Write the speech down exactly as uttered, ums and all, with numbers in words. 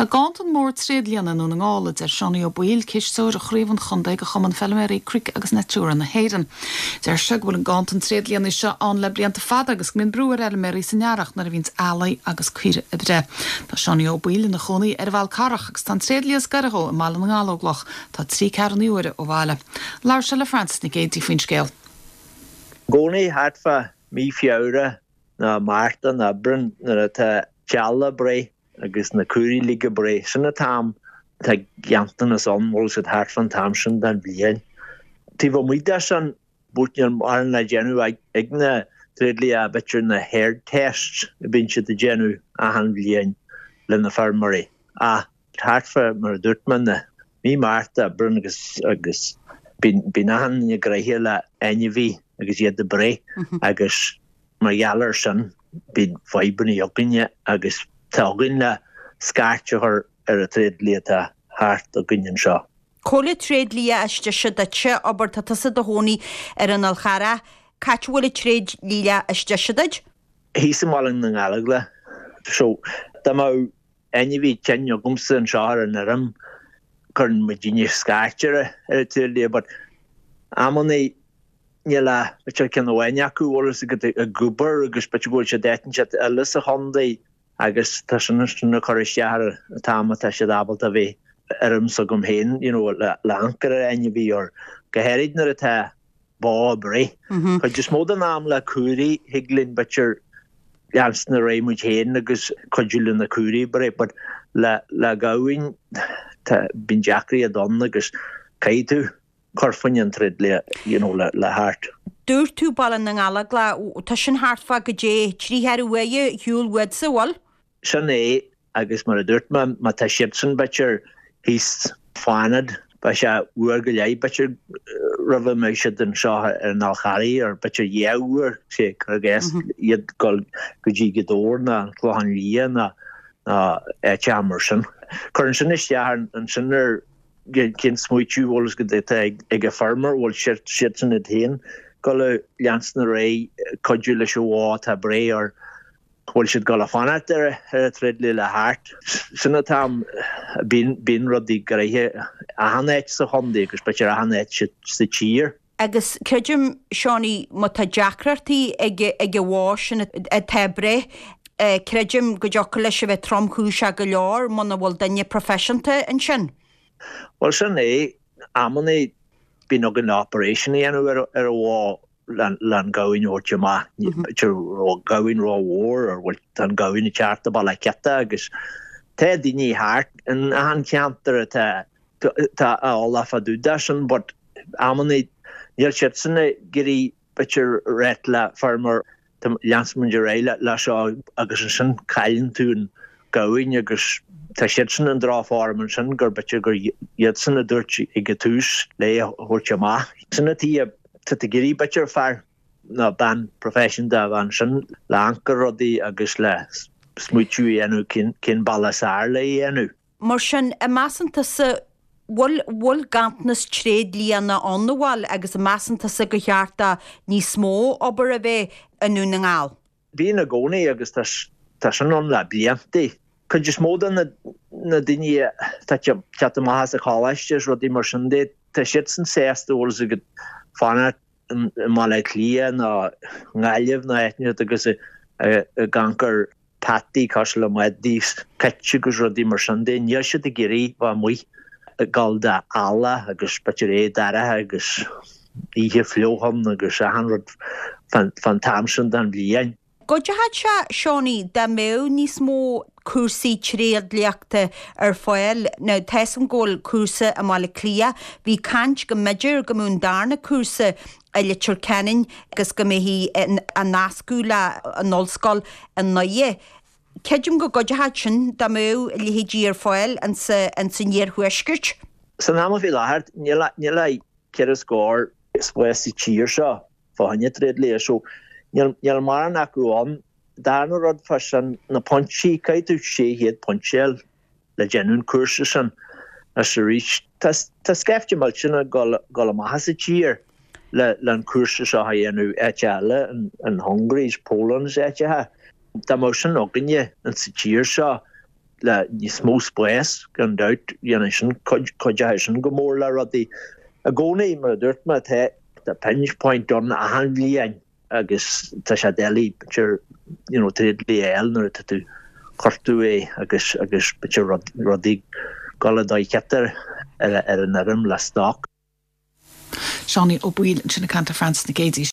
Tá ganntan mór tréidlianna i nDún na nGall a deir Seánie Ó Baoill, cisteoir chraobh an chontae de Chumann Feilméaraí Cnoic agus Natura na hÉireann. Deir sé go bhfuil an ganntan tréidlianna seo ann le blianta fada agus go mbíonn brú ar fheilméaraí san earrach nuair a bhíonns eallaigh agus caoirigh ag breith. Tá Seánie Ó Baoill ina chónaí ar an bhFál Carrach agus tá an tréidlia is gaire dhó i mBaile na nGallóglach, tá trí ceathrú uaire ó bhaile. Labhair sé le Frances Nic Géadaigh faoin scéal. I gcónaí thart fá mí Feabhra ná Márta ná Aibreán nuair atá eallaigh ag breith agus na caoirigh uilig ag breith sin an t-am tá ganntanas ann bhfuil siad thart fán t-am sin den bhliain. Taobh amuigh de sin but níl mórán le déanamh ag na tréidlia b'fhéidir na herd tests a bíonn siad ag déanamh achan bhliain le na feirmeoirí. Ach thart fá mar a dúirt mé na mí Márta Aibreán agus agus bíonn achan duine gnoitheach le ainmhí agus iad ag breith agus mar gheall air sin bíonn fadhbanna againne agus tá againn le scairt a chur ar an tréidlia atá thart againn anseo. Cá bhfuil an tréidlia is deise duitse, abair tá tusa i do chónaí ar an Fhál Charrach, cá háit a bhfuil an tréidlia is deise duit? Thíos i mBaile na nGallóglach. So dá mbeadh ainmhí tinn agamsa anseo ar an fheirm cuireann muidinne scairt ar ar an tréidlia but amannaí níl ach b'fhéidir ceann amháin acu bhfuil fhios agat ag obair agus b'fhéidir go bhfuil siad áit inteacht eile sa chontae agus tá sin sin ag cur isteach ar an t-am atá siad ábalta a bheith ar fheirm s'agam féin you know le le amharc ar ainmhí or go háirid nuair atá bó ag breith. Cuid is mó den am le caoirigh thig linn b'fhéidir leanstan ar aghaidh muid féin agus cuidiú le na caoirigh ag breith but le le gamhain tá bíonn deacracht ann agus caithfidh tú cur fá choinne an tréidlia you know le le theacht. Dúirt tú Baile na nGallóglach, tá sin thart fá goidé trí cheathrú uaire ar shiúl uatsa, bhfuil? Sin é agus mar a dúirt mé má tá siadsan b'fhéidir thíos Fánad beidh sé uair go leith b'fhéidir roimh a mbeidh siad anseo ar an Fhál Charraigh or b'fhéidir dhá uair sé cur i gcás iad dul go dtí Gaoth Dobhair ná an Clochán Liath ná ná áiteacha mar sin. Cuireann sin isteach ansin ar cén smaoitiú bhfuil fhios agat atá ag an feirmeoir bhfuil siad siadsan iad féin dul a leanstan ar aghaidh cuidiú leis an bhó atá ag breith or bhfuil siad dul a fanacht ar ar an tréidlia le theacht. Sin an t-am bíonn bíonn rudaí gnoitheach achan áit sa chontae agus b'fhéidir achan áit sa tír. Agus creidim, Seánie, má tá deacrachtaí ag ag an bhó sin atá ag breith, creidim go dtiocfadh leis a bheith tromchúiseach go leor muna bhfuil duine proifisiúnta ansin. Bhuel sin é, amannaí bíonn againn operation a dhéanamh ar ar an bhó le an gamhain a thabhairt amach. B'fhéidir raibh gamhain rómhór or bhfuil tá an gamhain ag teacht i baile ciota agus tá daoine thart in achan cheantar atá tá eolach fá dtaobh de sin but amannaí níl siadsan ag iarraidh b'fhéidir ráit le feirmeoir leanfaidh muid ar aghaidh le seo agus ansin cailleann tú an gamhain agus tá siadsan i ndrochfhoirm ansin gur b'fhéidir gur iadsan a dúirt ag an tús le a thabhairt amach. Sin an tuige tá tú ag iarraidh b'fhéidir fear nó bean proifisiúnta a bheith ansin le amharc ar rudaí agus le smaoitiú a dhéanamh cén cén bealach is fearr le a dhéanamh. Mar sin, an measann tusa bhfuil bhfuil ganntanas tréidlianna ann an bhfuil agus an measann tusa gur cheart do níos mó obair a bheith i nDún na nGall? Bíonn i gcónaí agus tá tá sin ann le blianta. Cuid is mó de na na daoine atá ag teacht amach as an choláiste is rudaí mar sin de, tá siadsan sásta bhfuil fhios agat fanacht i mBaile Átha Cliath nó i nGaillimh nó áit inteacht agus ag amharc ar peataí cosúil le madaí is cait agus rudaí mar sin de. Níl siad ag iarraidh bheith amuigh ag gabháil d'eallach agus b'fhéidir é dorcha agus oíche fliuch ann agus achan rud fán t-am sin den bhliain. Go dtiocfadh sé, Seánie, dá mbeadh níos mó cúrsaí tréidliachta ar fáil. Now, tá 'fhios a'm go bhfuil cúrsa i mBaile Átha Cliath. Bhí caint go mb'fhéidir go mbeadh an darna cúrsa i Leitir Ceanainn agus go mbeifí á nascadh le an ollscoil i nDoire. Creidim go gcuideodh sin dá mbeadh a leithéidí ar fáil insa insan iarthuaisceart. San am faoi láthair, níl níl ach ceithre scór spás sa tír seo fá choinne tréidlia so níl níl mórán acu ann. Darna rud fá sin na pointí, caithfidh tú sé chéad pointe a fháil le déanamh an cúrsa sin is arís tá tá scaifte millteanach ag dul dul amach as an tír le le an cúrsa seo a dhéanamh áit eile in in Hungary is Poland is áiteacha. Dá mbeadh sin againne in sa tír seo le níos mó spáis gan dabht dhéanann sin cuideoidh sin go mór le rudaí. I gcónaí mar a dúirt mé tá tá pinch point ann achan bhliain agus tá sé doiligh b'fhéidir you know tréidlia a fháil nuair atá tú cuartú é agus agus b'fhéidir rudaí ag dul i dóigh cheart ar ar an fheirm le stoc. Seánie Ó Baoill ansin ag caint le Frances Nic Géadaigh.